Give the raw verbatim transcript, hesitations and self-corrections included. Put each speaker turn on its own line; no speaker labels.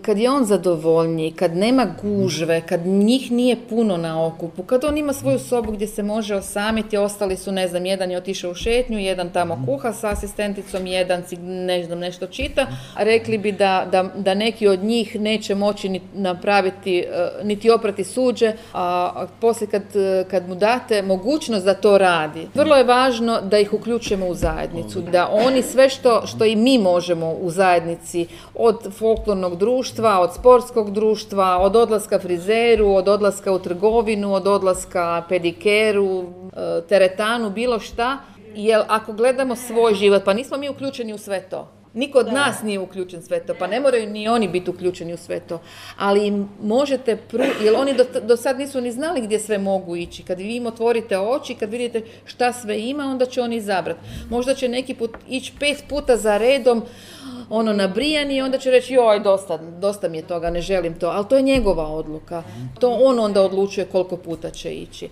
kad je on zadovoljniji, kad nema gužve, kad njih nije puno na okupu, kad on ima svoju sobu gdje se može osamiti, ostali su, ne znam, jedan je otišao u šetnju, jedan tamo kuha sa asistenticom, jedan si, ne znam, nešto čita, rekli bi da, da, da neki od njih neće moći ni napraviti, niti oprati suđe, a poslije kad, kad mu date mogućnost da to radi. Vrlo je važno da ih uključimo u zajednicu, da oni sve što, što i mi možemo u zajednici, od folklornog društva, od sportskog društva, od odlaska frizeru, od odlaska u trgovinu, od odlaska pedikeru, teretanu, bilo šta, jer ako gledamo svoj život, pa nismo mi uključeni u sve to. Niko od nas nije uključen sve to, pa ne moraju ni oni biti uključeni u sve to. Ali im možete, pru... jer oni do, do sad nisu ni znali gdje sve mogu ići. Kad vi im otvorite oči, kad vidite šta sve ima, onda će oni izabrati. Možda će neki put ići pet puta za redom, ono nabrijani, i onda će reći joj, dosta, dosta mi je toga, ne želim to. Ali to je njegova odluka. To on onda odlučuje koliko puta će ići.